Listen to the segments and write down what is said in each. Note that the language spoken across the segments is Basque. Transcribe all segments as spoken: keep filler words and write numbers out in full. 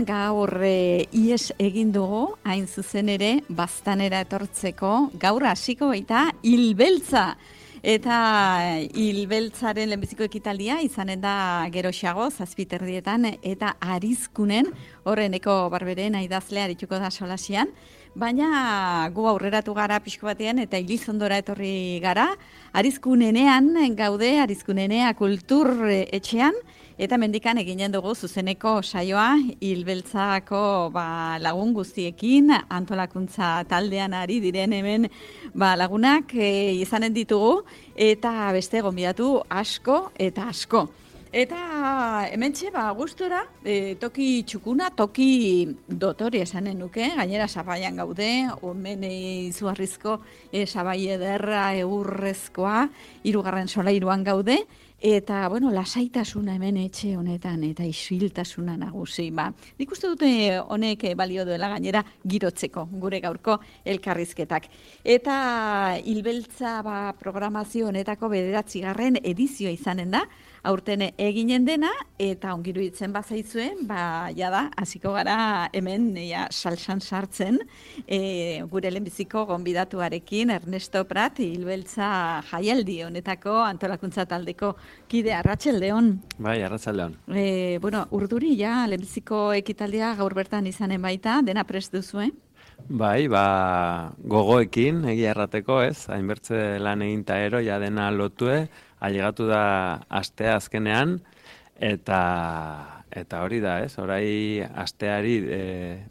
gaur e, ies egin dugu, hain zuzen ere, Baztanera etortzeko, gaur hasiko baita hilbeltza. Eta hilbeltzaren lehenbiziko ekitaldia izanen da geroxago, zazpiterdietan, eta Arizkunen, horreneko barberen aidazlea arituko da solasian, baina gu aurreratu gara pixko batean eta Ilizondora etorri gara, Arizkunenean gaude, Arizkunenea kultur etxean, eta mendikan eginen dugu zuzeneko saioa hilbeltzako ba, lagun guztiekin, antolakuntza taldean ari diren hemen ba, lagunak e, izanen ditugu, eta beste gonbidatu asko eta asko. Eta hementxe, ba, gustora, e, toki txukuna, toki dotori esanen nuke, gainera sabaian gaude, omen izugarrizko e, sabai ederra egurrezkoa, hirugarren solairuan gaude, eta, bueno, lasaitasuna hemen etxe honetan, eta isiltasuna nagusi. Ba, nik uste dute honek balio duela gainera girotzeko, gure gaurko elkarrizketak. Eta hilbeltza ba, programazio honetako bederatzigarren edizioa izanen da, aurten eginen dena, eta ongiru itzen bazaizuen, ba, jada, hasiko gara hemen ja, salsan sartzen, e, gure lehenbiziko gonbidatuarekin, Ernesto Prat, hilbeltza jaialdi honetako antolakuntza taldeko kide, arratsaldeon. Bai, arratsaldeon. E, bueno, urduri ja, lehenbiziko ekitaldia gaur bertan izanen baita, dena prest duzue? Bai, ba, gogoekin, egia errateko, ez, hainbertze lan egin ta ero, ja dena lotue, ailegatu da astea azkenean, eta eta hori da, ez, orai asteari e,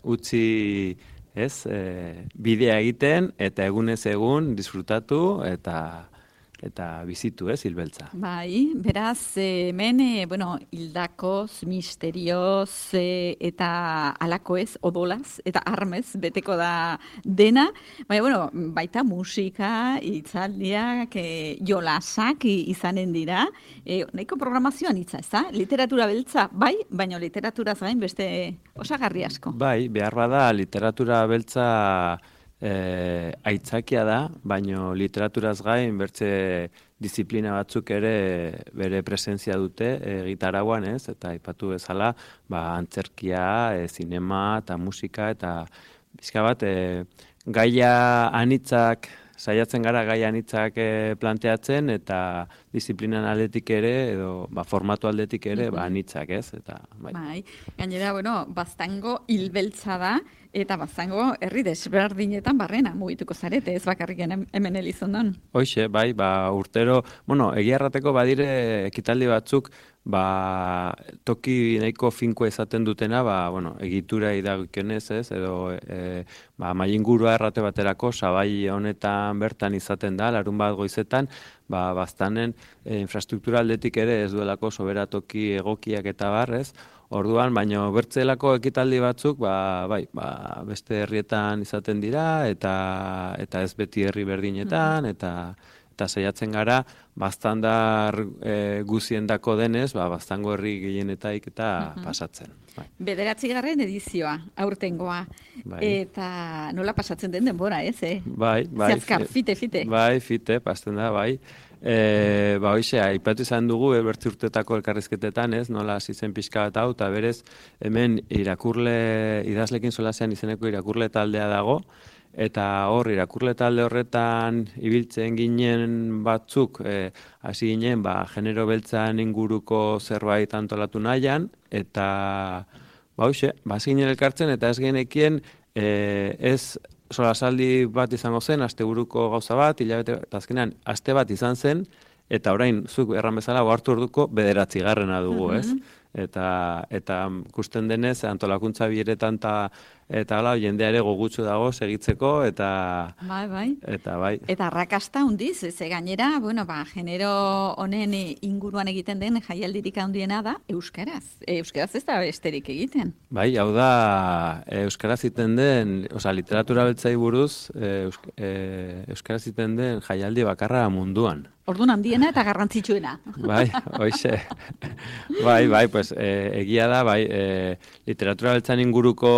utzi, ez, e, bidea egiten, eta egunez egun disfrutatu, eta eta bizitu, ez, hilbeltza. Bai, beraz, hemen, e, bueno, hildakoz, misterioz, e, eta alakoez, odolaz, eta armez, beteko da dena. Baina, bueno, baita musika, hitzaldiak, e, jolasak izanen dira. E, nahiko programazioan hitza, ez da? Literatura beltza, bai, baina literaturaz gain beste osagarri asko. Bai, behar bada, literatura beltza E, aitzakia da, baino literaturaz gain bertze disiplina batzuk ere bere presentzia dute e, gitarauan, ez, eta aipatu bezala, ba, antzerkia, e, zinema eta musika, eta bizka bat, e, gaia anitzak, saiatzen gara gaia anitzak e, planteatzen, eta disiplinan aldetik ere, edo ba, formatu aldetik ere, ba, anitzak, ez, eta bai. Bai, gainera, bueno, Baztango hilbeltza da, eta Baztango herri desberdinetan barrena mugituko zarete, ez bakarrik hemen Elizondon. Hoxe, bai, ba, urtero, bueno, egia errateko badire ekitaldi batzuk, ba, toki nahiko finko ezaten dutena, ba, bueno, egitura idagokionez, ez, edo e, ba, mailingurua errate baterako, sabai honetan bertan izaten da, larun bat goizetan, ba, Baztanen e, infrastruktura aldetik ere ez duelako soberatoki egokiak eta barrez, orduan, baino bertzelako ekitaldi batzuk, ba, bai, ba, beste herrietan izaten dira, eta eta ez beti herri berdinetan, eta eta saiatzen gara, Baztandar e, guziendako denez, ba, Baztango herri gehienetaik eta uh-huh. pasatzen. Bai. Bederatzigarren edizioa, aurtengoa, bai. Eta nola pasatzen den denbora, ez, eh? Bai, bai. Zehazkar, fite, fite. Bai, fite, pasten da, bai. E, ba, hoxe, aipatu izan dugu, e, bertzi urtetako elkarrizketetan, ez, nola hasi zen pixka bat hau, eta berez, hemen irakurle, idazlekin solasean izeneko irakurle taldea dago, eta hor, irakurle talde horretan ibiltzen ginen batzuk, e, hasi ginen, ba, genero beltzan inguruko zerbait antolatu nahian, eta, ba, hoxe, ba, hasi ginen elkartzen, eta ez genekien, e, ez, solasaldi bat izango zen, asteburuko gauza bat, hilabete, eta azkenean, aste bat izan zen, eta orain, zuk erran bezala, ohartu orduko bederatzigarrena dugu, ez? Uh-huh. Eta, eta ikusten denez, antolakuntza bileretan ta, eta hala, jendea ere gogutsu dago segitzeko, eta bai, bai. Eta bai. Eta arrakasta hundiz, ze gainera, bueno, ba, genero honen inguruan egiten den jaialdirik handiena da euskaraz. E, euskaraz ez da besterik egiten. Bai, hau da, euskaraz egiten den, osea, literatura beltzai buruz, e, eusk, e, euskaraz egiten den jaialdi bakarra munduan. Orduan handiena eta garrantzitsuena. Bai, hoixe. Bai, bai, pues e, egia da, bai, e, literatura beltzan inguruko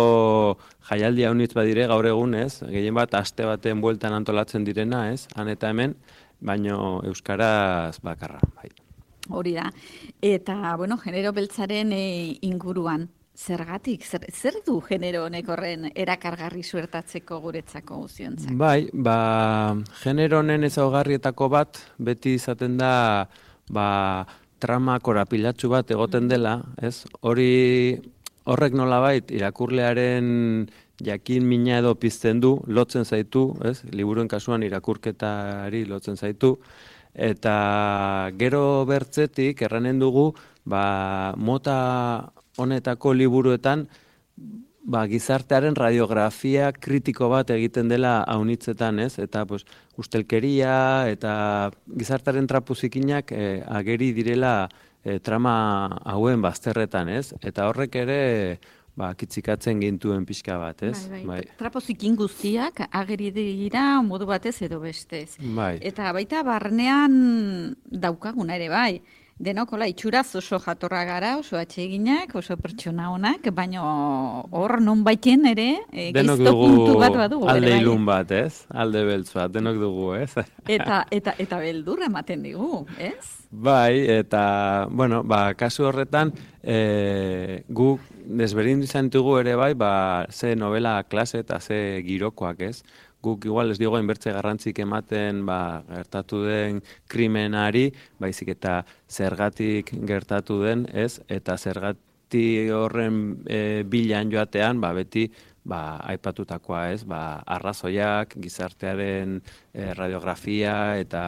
jaialdi haunitz badire gaur egun, ez? Gehien bat aste baten bueltan antolatzen direna, ez? Han eta hemen, baino euskaraz bakarra, bai. Hori da. Eta, bueno, genero beltzaren e, inguruan, Zergatik, zer, zer du genero honek horren erakargarri suertatzeko guretzako guztiontzak? Bai, ba, genero honen ezaugarrietako bat, beti izaten da, ba, trama korapilatsu bat egoten dela, ez? Hori, horrek nolabait, irakurlearen jakin mina edo pizten du, lotzen zaitu, ez? Liburuen kasuan irakurketari lotzen zaitu, eta gero bertzetik, erranen dugu, ba, mota honetako liburuetan, ba, gizartearen radiografia kritiko bat egiten dela haunitzetan, ez? Eta pues, ustelkeria eta gizartearen trapuzikinak eh, ageri direla eh, trama hauen bazterretan, ez? Eta horrek ere ba, kitzikatzen gintuen pixka bat, ez? Bai, bai. Trapozikin guztiak ageri dira modu batez edo bestez. Bai. Eta baita barnean daukaguna ere bai. Denokola itxuraz oso jatorra gara, oso atseginak, oso pertsona honak, baina hor non baiten ere e, geizto puntu bat badugu. Alde ilun bat, ez? Alde beltz bat, denok dugu, ez? eta, eta, eta beldurra ematen digu, ez? Bai, eta, bueno, ba, kasu horretan, e, gu desberdin izan ditugu ere bai, ba, ze novela klase eta ze girokoak, ez? Guk igual ez digo inbertze garrantzik ematen ba, gertatu den krimenari, baizik eta zergatik gertatu den, ez? Eta zergati horren e, bilan joatean, ba, beti ba, aipatutakoa, ez? Ba, arrazoiak, gizartearen e, radiografia eta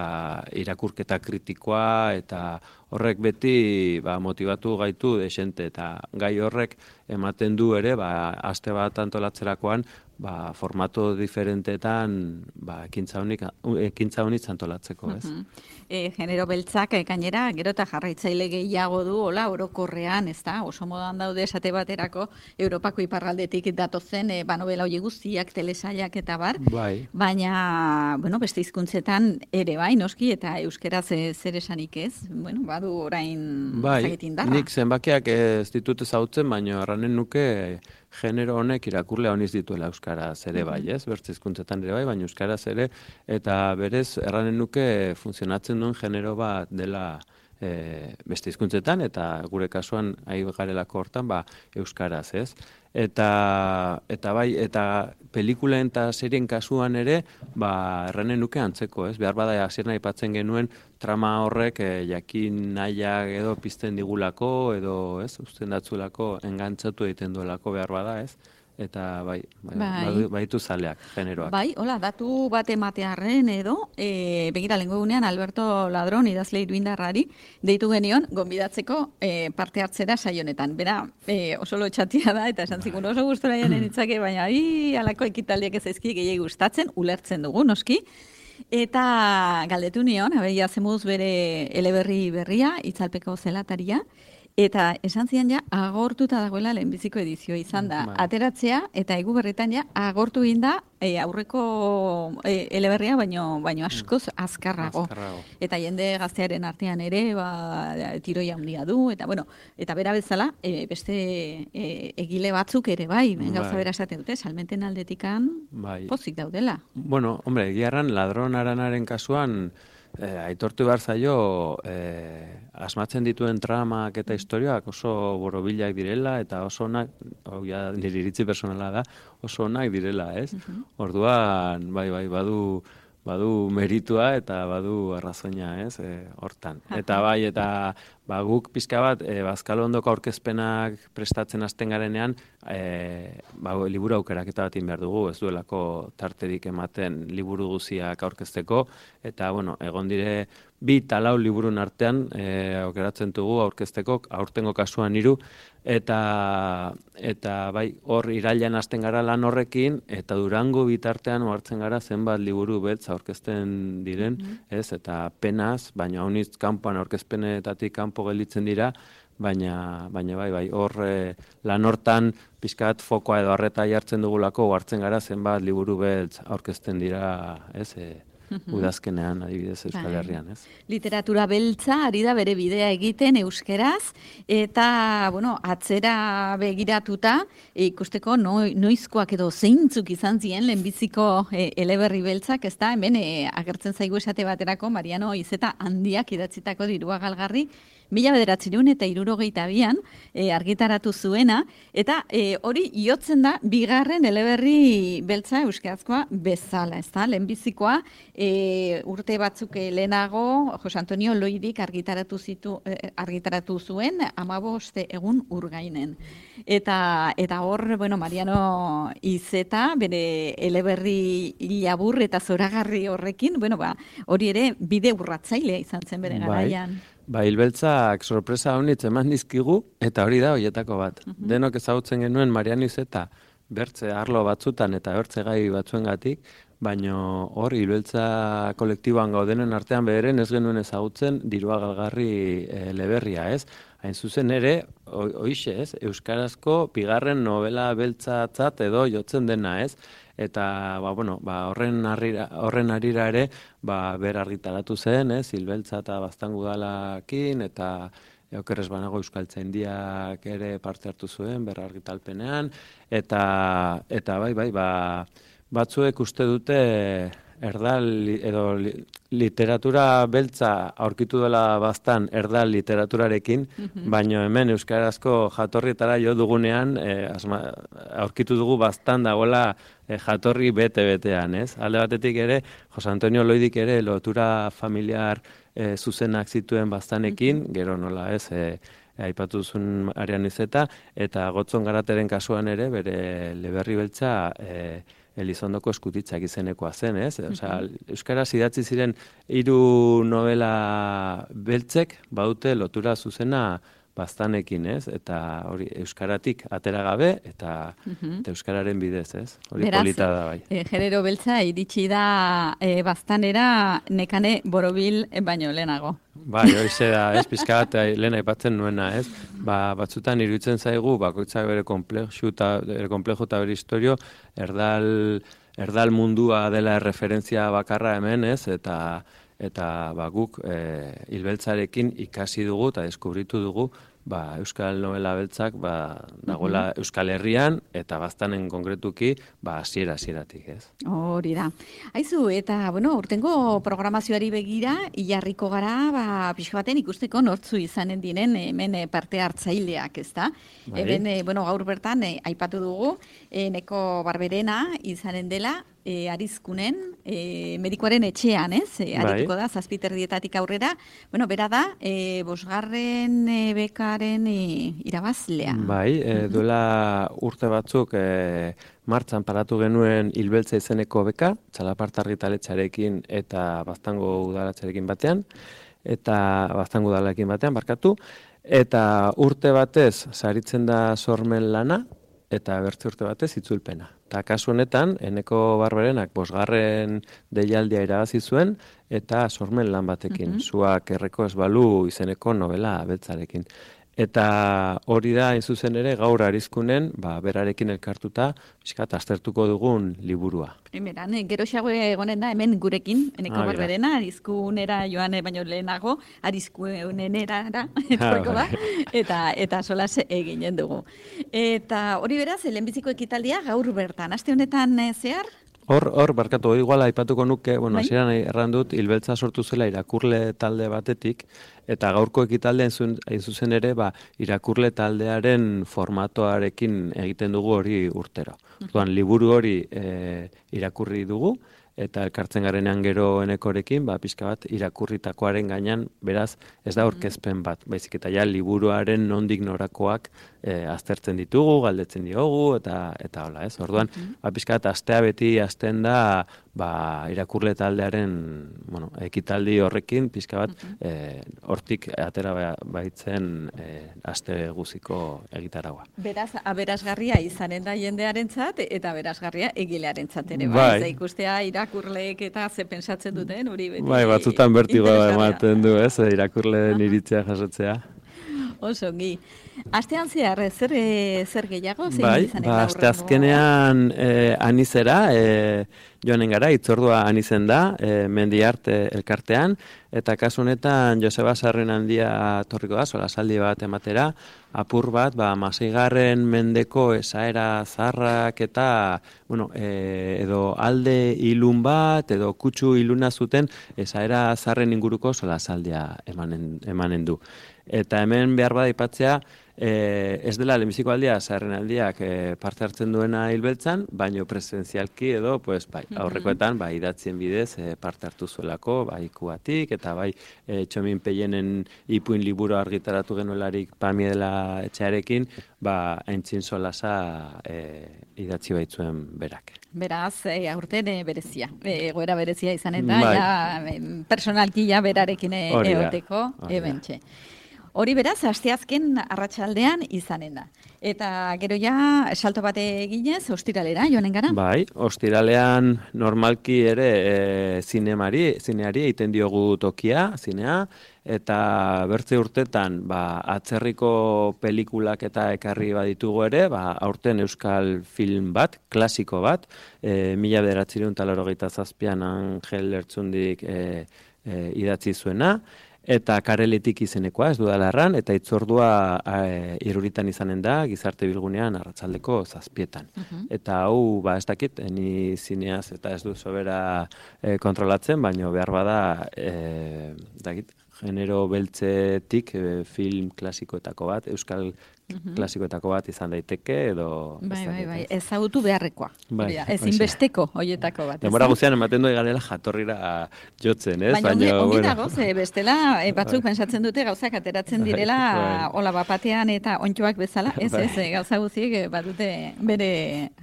irakurketa kritikoa, eta horrek beti ba, motivatu gaitu desente, eta gai horrek ematen du ere, ba, aste bat antolatzerakoan, ba, formato diferentetan ba, ekintza honik, ekintza honik antolatzeko, ez? Uh-huh. E, genero beltzak, e, gainera, gero eta jarraitzaile gehiago du, hola, orokorrean, ez da, oso modan daude esate baterako, Europako iparraldetik datozen, e, ba, novela hori guztiak, telesailak eta bar, bai. Baina, bueno, beste hizkuntzetan ere bai, noski, eta euskeraz e, zer esanik ez, bueno, badu orain bai, zagetin darra. Nik zenbakiak ez ditut ezautzen, baina erranen nuke genero honek irakurlea honiz dituela euskaraz ere bai, ez? Bertze hizkuntzetan ere bai, baina euskaraz ere, eta berez erranen nuke funtzionatzen duen genero bat dela e, beste hizkuntzetan, eta gure kasuan ari garelako hortan, ba, euskaraz, ez? Eta, eta bai, eta pelikulen eta serien kasuan ere, ba, erranen nuke antzeko, ez? Behar bada hasieran aipatzen genuen trama horrek e, jakin nahiak edo pizten digulako, edo, ez? Uzten datzulako, engantzatu egiten duelako behar bada, ez? Eta bai, bai, bai. baitu zaleak, generoak. Bai, hola, datu bat ematearren edo, e, begira lengo egunean Alberto Ladron idazle iruindarrari, deitu genion, gonbidatzeko e, parte hartzera saionetan. Bera, e, oso lotxatia da, eta esan zikun oso gustora janen itzake, baina hi, alako ekitaldiak ez zaizki gehiagi gustatzen, ulertzen dugu, noski. Eta galdetu nion, abeia zemuz bere eleberri berria, itzalpeko zelataria, eta esan zian ja, agortuta dagoela lehenbiziko edizioa izan da. Bai. Ateratzea, eta egu berretan ja, agortu egin da e, aurreko e, eleberria, baino, baino askoz azkarrago. azkarrago. Eta jende gaztearen artean ere, ba, tiroia handia du, eta bueno, eta bera bezala, e, beste e, egile batzuk ere bai, ben, gauza Bai. bera esaten dute, salmenten aldetikan Bai. pozik daudela. Bueno, hombre, egiarran ladron aranaren kasuan eh, aitortu behar zaio eh, asmatzen dituen tramak eta historiak oso borobilak direla eta oso onak, hau ja nire iritzi personala da, oso onak direla, ez? Mhm. Orduan, bai, bai, badu badu meritua eta badu arrazoina, ez, e, hortan. Eta bai, eta ba, guk pixka bat, e, Bazkalondoko aurkezpenak prestatzen hasten garenean, e, ba, liburu aukeraketa bat egin behar dugu, ez duelako tarterik ematen liburu guziak aurkezteko, eta, bueno, egon dire bi talau liburun artean e, aukeratzen dugu aurkezteko, aurtengo kasuan hiru, eta eta bai, hor irailean hasten gara lan horrekin, eta Durango bitartean hartzen gara zenbat liburu beltz aurkezten diren, mm-hmm. ez, eta penaz, baina honitz kanpoan aurkezpenetatik kanpo gelditzen dira, baina baina bai, bai, hor e, lan hortan pixkat fokoa edo harreta jartzen dugulako, hartzen gara zenbat liburu beltz aurkezten dira, ez, e, udazkenean adibidez Euskal Herrian, ez? Literatura beltza ari da bere bidea egiten euskeraz, eta, bueno, atzera begiratuta, ikusteko noizkoak edo zeintzuk izan ziren lehenbiziko eleberri beltzak, ez da, hemen agertzen zaigu esate baterako, Mariano Izeta handiak idatzitako Dirua Galgarri, mila bederatziehun eta hirurogeita bian argitaratu zuena, eta hori jotzen da bigarren eleberri beltza euskerazkoa bezala, ez da, lehenbizikoa urte batzuk lehenago Jose Antonio Loidik argitaratu zitu argitaratu zuen hamabost egun urgainen. Eta eta hor, bueno, Mariano Izeta bere eleberri labur eta zoragarri horrekin, bueno, ba, hori ere bide urratzailea izan zen bere garaian. Ba, hilbeltzak sorpresa honitz eman dizkigu, eta hori da horietako bat. Uh -huh. Denok ezagutzen genuen Mariano Izeta bertze arlo batzutan eta bertze gai batzuengatik, baino hor hilbeltza kolektiboan gaudenen artean bederen ez genuen ezagutzen Dirua Galgarri eleberria, ez? Hain zuzen ere, hoixe, ez? Euskarazko bigarren novela beltzatzat edo jotzen dena, ez? Eta ba, bueno, ba, horren, harira, horren harira ere ba, ber argitaratu zen, ez? Hilbeltza eta Baztangudalakin, eta okerrez banago Euskaltzaindiak ere parte hartu zuen ber argitalpenean, eta, eta bai, bai, ba, batzuek uste dute erdal edo literatura beltza aurkitu dela baztan erdal literaturarekin, mm-hmm. baino hemen euskarazko jatorrietara jo dugunean eh, asma, aurkitu dugu baztan dagoela eh, jatorri bete-betean, ez? Alde batetik ere, Jose Antonio Loidik ere lotura familiar eh, zuzenak zituen baztanekin, mm-hmm. gero nola ez, eh, aipatu duzun Mariano Izeta, eta Gotzon Garateren kasuan ere, bere eleberri beltza eh, Elizondoko eskutitzak izenekoa zen, ez? Osea, euskaraz idatzi ziren hiru novela beltzek badute lotura zuzena baztanekin, ez? Eta hori euskaratik atera gabe eta, uh-huh. eta euskararen bidez, ez? Hori Beraz, polita da bai. E, genero beltza iritsi da e, baztanera Nekane Borobil baino lehenago. Bai, hori da, ez, pizka bat lehen aipatzen nuena, ez? Ba, batzutan iruditzen zaigu, bakoitzak bere komplexu eta bere komplejo eta bere historio, erdal, erdal mundua dela referentzia bakarra hemen, ez? Eta eta ba, guk e, hilbeltzarekin ikasi dugu eta deskubritu dugu ba, Euskal Novela beltzak ba, dagoela mm-hmm. Euskal Herrian eta baztanen konkretuki ba, hasiera hasieratik, ez? Hori da. Aizu, eta bueno, urtengo programazioari begira, ilarriko gara, ba, pixka baten ikusteko nortzu izanen diren hemen parte hartzaileak, ez da? Bai. Hemen, e, bueno, gaur bertan, e, aipatu dugu, e, Neko Barberena izanen dela, E, arizkunen, e, medikoaren etxean, ez? E, arituko da, zazpiterdietatik aurrera. Bueno, bera da, e, bosgarren e, bekaren e, irabazlea. Bai, e, duela urte batzuk e, martxan paratu genuen hilbeltza izeneko beka, Txalaparta argitaletxarekin eta Baztango udalatxarekin batean, eta Baztango udalarekin batean, barkatu, eta urte batez saritzen da sormen lana, eta bertze urte batez itzulpena. Eta kasu honetan, Eneko Barberenak bosgarren deialdia irabazi zuen, eta sormen lan batekin, mm-hmm. Zuak erreko ez balu izeneko novela beltzarekin. Eta hori da, hain zuzen ere, gaur arizkunen, ba, berarekin elkartuta, pixkat, aztertuko dugun liburua. Beran, gero xago egonen da, hemen gurekin, Eneko ah, Barberena, arizkunera joan baino lehenago, arizkunenera etorreko da, eta, eta solas eginen dugu. Eta hori beraz, lehenbiziko ekitaldia gaur bertan, aste honetan zehar? Hor, hor, barkatu, iguala aipatuko nuke, bueno, hasieran erran dut, hilbeltza sortu zela irakurle talde batetik, eta gaurko ekitaldea hain zuzen ere, ba, irakurle taldearen formatoarekin egiten dugu hori urtero. Orduan, liburu hori e, irakurri dugu, eta elkartzen garenean gero Enekorekin, ba, pixka bat irakurritakoaren gainean, beraz, ez da aurkezpen bat, baizik eta ja liburuaren nondik norakoak e, aztertzen ditugu, galdetzen diogu, eta eta hola, ez? Orduan, ba, pixka bat astea beti azten da, ba, irakurle taldearen, bueno, ekitaldi horrekin, pixka bat, e, hortik atera baitzen e, aste guziko egitaragua. Beraz, aberasgarria izanen da jendearentzat eta aberasgarria egilearentzat ere, bai, bai, ikustea irakurleek eta ze pentsatzen duten, hori beti. Bai, batzutan bertigoa ematen du, ez, irakurleen iritzia jasotzea. Osongi. Astean zehar, zer, zer gehiago? Bai, ba, aste azkenean eh, anizera, eh, joanen gara, itzordua han izen da, e, Mendiarte elkartean, eta kasu honetan Joseba Sarrinandia torriko da, solasaldi bat ematera, apur bat, ba, maseigarren mendeko esaera zaharrak eta, bueno, e, edo alde ilun bat, edo kutsu iluna zuten esaera zaharren inguruko solasaldia emanen, emanen du. Eta hemen behar bada aipatzea, E, ez dela lehenbiziko aldia, zaharren aldiak e, parte hartzen duena hilbeltzan, baino presentzialki edo, pues, bai, aurrekoetan, bai, idatzien bidez e, parte hartu zuelako, bai, ikuatik, eta bai, e, Txomin Peienen ipuin liburu argitaratu genuelarik Pamiela etxearekin, ba, aintzin solasa e, idatzi baitzuen berak. Beraz, e, aurten e, berezia, e, egoera berezia izan eta, bai. ja, personalki ja berarekin e, egoteko, ebentxe. Hori beraz, asteazken arratsaldean izanen da. Eta gero ja, salto bate eginez, ostiralera joanen gara? Bai, ostiralean normalki ere e, zinemari, zineari egiten diogu tokia, zinea, eta bertze urtetan ba, atzerriko pelikulak eta ekarri baditugu ere, ba, aurten euskal film bat, klasiko bat, e, mila bederatziehun eta laurogeita zazpian Angel Lertxundik e, e, idatzi zuena, eta Kareletik izenekoa, ez dudalarran, eta itzordua e, iruritan izanen da, gizarte bilgunean arratsaldeko zazpietan. Uh-huh. Eta hau, ba, ez dakit, ni zineaz eta ez du sobera e, kontrolatzen, baino behar bada, e, dakit, genero beltzetik e, film klasikoetako bat, euskal uh-huh. klasikoetako bat izan daiteke, edo... Bai, bai, bai, ezagutu beharrekoa. Bai, ezin besteko hoietako bat. Demora guztian ematen doi garela jatorrira jotzen, ez? Baina ongi, ongi bueno. dago, ze bestela, e, batzuk bai. Pentsatzen dute gauzak ateratzen direla, bai. Ola bapatean eta ontxoak bezala, ez bai. ez, gauza guztiek badute bere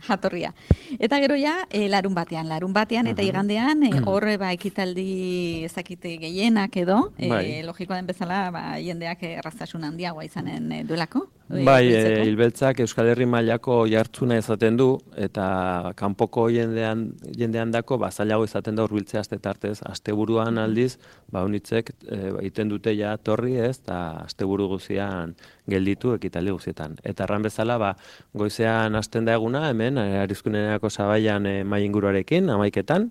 jatorria. Eta gero ja, e, larun batean, larun batean eta uh-huh. igandean, e, horre ba, ekitaldi ezakite gehienak edo, bai. e, logikoa den bezala, ba, jendeak errazasun handiagoa izanen e, duelako. Bai, e, hilbeltzak Euskal Herri mailako jartzuna izaten du, eta kanpoko jendean, jendean dako, ba, zailago izaten da hurbiltzea astetartez, asteburuan aldiz, ba, unitzek e, egiten dute ja torri ez, eta asteburu guzian gelditu ekitaldi guzietan. Eta erran bezala, ba, goizean hasten da eguna, hemen, Arizkunenerako Zabaian e, mai inguruarekin, amaiketan,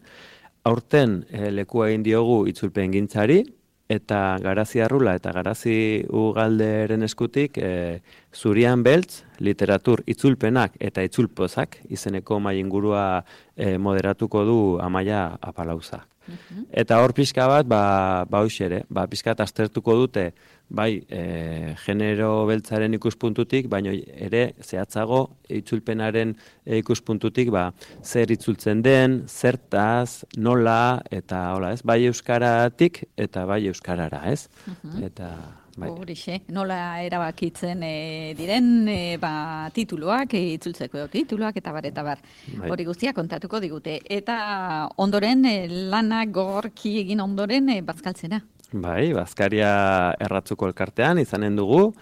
aurten e, lekua egin diogu itzulpen gintzari, eta Garazi Arrula eta Garazi Ugalderen eskutik e, Zurian Beltz, literatur itzulpenak eta itzulpozak izeneko mai ingurua e, moderatuko du Amaia Apalauza. Uh-huh. Eta hor pixka bat, ba, ba ere, ba, pixka bat aztertuko dute, bai, e, genero beltzaren ikuspuntutik, baina ere zehatzago itzulpenaren e, ikuspuntutik, ba, zer itzultzen den, zertaz, nola, eta hola, ez, bai euskaratik eta bai euskarara, ez? Uh-huh. Eta... Bai. Horixe, nola erabakitzen e, diren e, ba, tituluak, e, itzultzeko tituluak, eta bar, eta bar. Bai. Hori guztia kontatuko digute. Eta ondoren, e, lanak gorki egin ondoren, e, bazkaltzena. Bai, bazkaria erratzuko elkartean izanen dugu,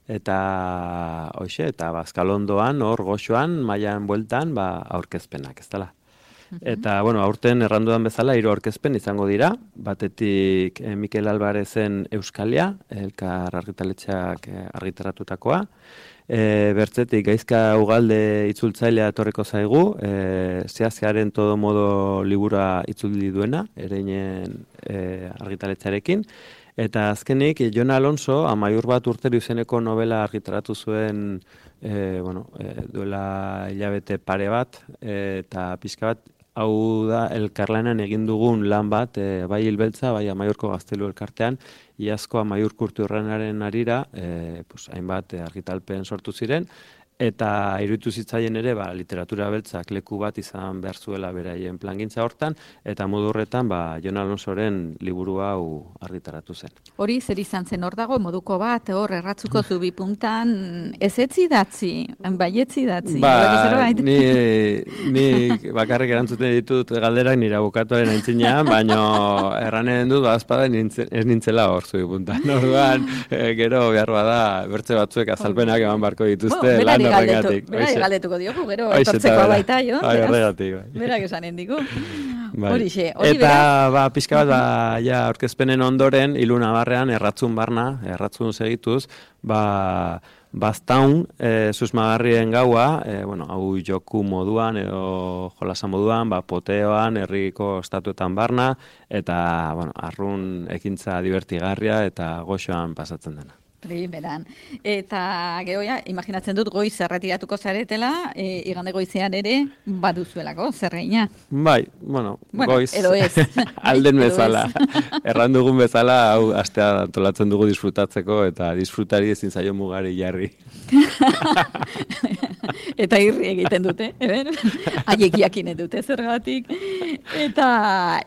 eta hoxe, eta bazkalondoan, hor goxoan, mailan bueltan, ba, aurkezpenak, ez dela. Eta, bueno, aurten errandudan bezala, hiru aurkezpen izango dira, batetik eh, Mikel Albarezen Euskalia, elkar argitaletxeak eh, argitaratutakoa, e, bertzetik Gaizka Ugalde itzultzailea etorriko zaigu, e, zehazkearen todo modo libura itzuldi duena, ereinen e, argitaletxearekin, eta azkenik, Jon Alonso, amaiur bat urtero izeneko novela argitaratu zuen, e, bueno, e, duela hilabete pare bat, e, eta pixka bat, hau da elkarlanan egin dugun lan bat, e, bai hilbeltza, bai Amaiurko Gaztelu elkartean, iazko Amaiur Kulturrenaren arira, e, pues, hainbat e, argitalpen sortu ziren, eta iruditu zitzaien ere, ba, literatura beltzak leku bat izan behar zuela beraien plangintza hortan, eta modu horretan, ba, Jon Alonsoren liburu hau argitaratu zen. Hori zer izan zen hor dago, moduko bat, hor erratzuko zubi puntan, ez etzi datzi, baietzi datzi. Ba, ni, ni bakarrik erantzuten ditut galderak nire abokatuaren aintzinean, baino erranen dut, bazpada ez nintzela hor zubi puntan. Orduan, e, gero behar bada, bertze batzuek azalpenak eman barko dituzte, oh, lan horregatik. Berari galdetuko diogu, gero etortzeko baita, jo? Bai, horregatik, bai. Berak esanen digu. Bai. Horixe, hori eta, ba, pixka bat, ba, ja, aurkezpenen ondoren, iluna barrean, erratzun barna, erratzun segituz, ba, Baztaun, e, susmagarrien gaua, e, bueno, hau joku moduan edo jolasa moduan, ba, poteoan, herriko estatuetan barna, eta, bueno, arrun ekintza divertigarria eta goxoan pasatzen dena. Primeran. Eta gero ja, imaginatzen dut goiz erretiratuko zaretela, e, igande goizean ere baduzuelako, zerreina. Bai, bueno, bueno goiz edo ez. alden bezala. Erran dugun bezala, hau astea antolatzen dugu disfrutatzeko eta disfrutari ezin zaio mugari jarri. Eta irri egiten dute, eben? Haiek jakinen dute zergatik. Eta,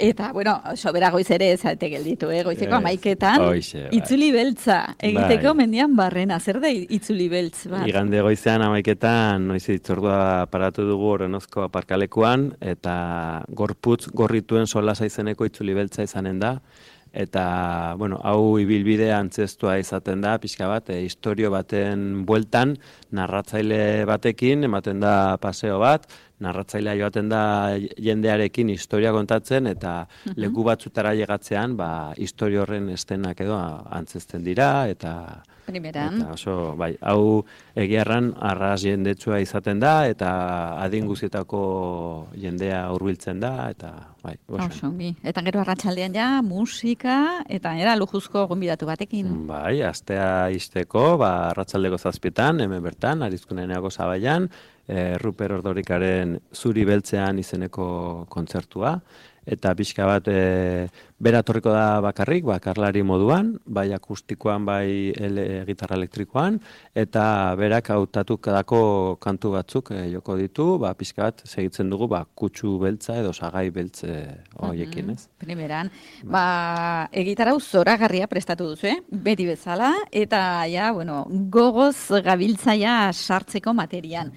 eta bueno, sobera goiz ere ezate gelditu, eh? Goizeko amaiketan, Oixe, bai. itzuli beltza egiteko Bai. mendian barrena, zer da itzuli beltz bat? Igande goizean amaiketan, noiz itzordua paratu dugu Orenozko aparkalekuan, eta gorputz gorrituen solasa izeneko itzuli beltza izanen da. Eta, bueno, hau ibilbide antzestua izaten da, pixka bat, e, historio baten bueltan, narratzaile batekin, ematen da paseo bat, narratzailea joaten da jendearekin historia kontatzen, eta uh-huh. leku batzutara llegatzean, ba, historio horren estenak edo antzesten dira, eta... Primeran. Eta oso, bai, hau egiarran arras jendetsua izaten da, eta adin guzietako jendea hurbiltzen da, eta bai, oso. Eta gero arratsaldean ja, musika, eta era lujuzko gonbidatu batekin. Bai, astea izteko, ba, arratsaldeko zazpietan, hemen bertan, Arizkuneneako Zabaian, e, Ruper Ordorikaren Zuri Beltzean izeneko kontzertua, eta pixka bat e, bera torriko da bakarrik, bakarlari moduan, bai akustikoan, bai ele, gitarra elektrikoan, eta berak hautatutako kantu batzuk e, joko ditu, ba, pixka bat segitzen dugu ba, kutsu beltza edo sagai beltze horiekin, ez? Primeran, ba, egitarau zoragarria prestatu duzu, eh? Beti bezala, eta ja, bueno, gogoz gabiltzaia sartzeko materian.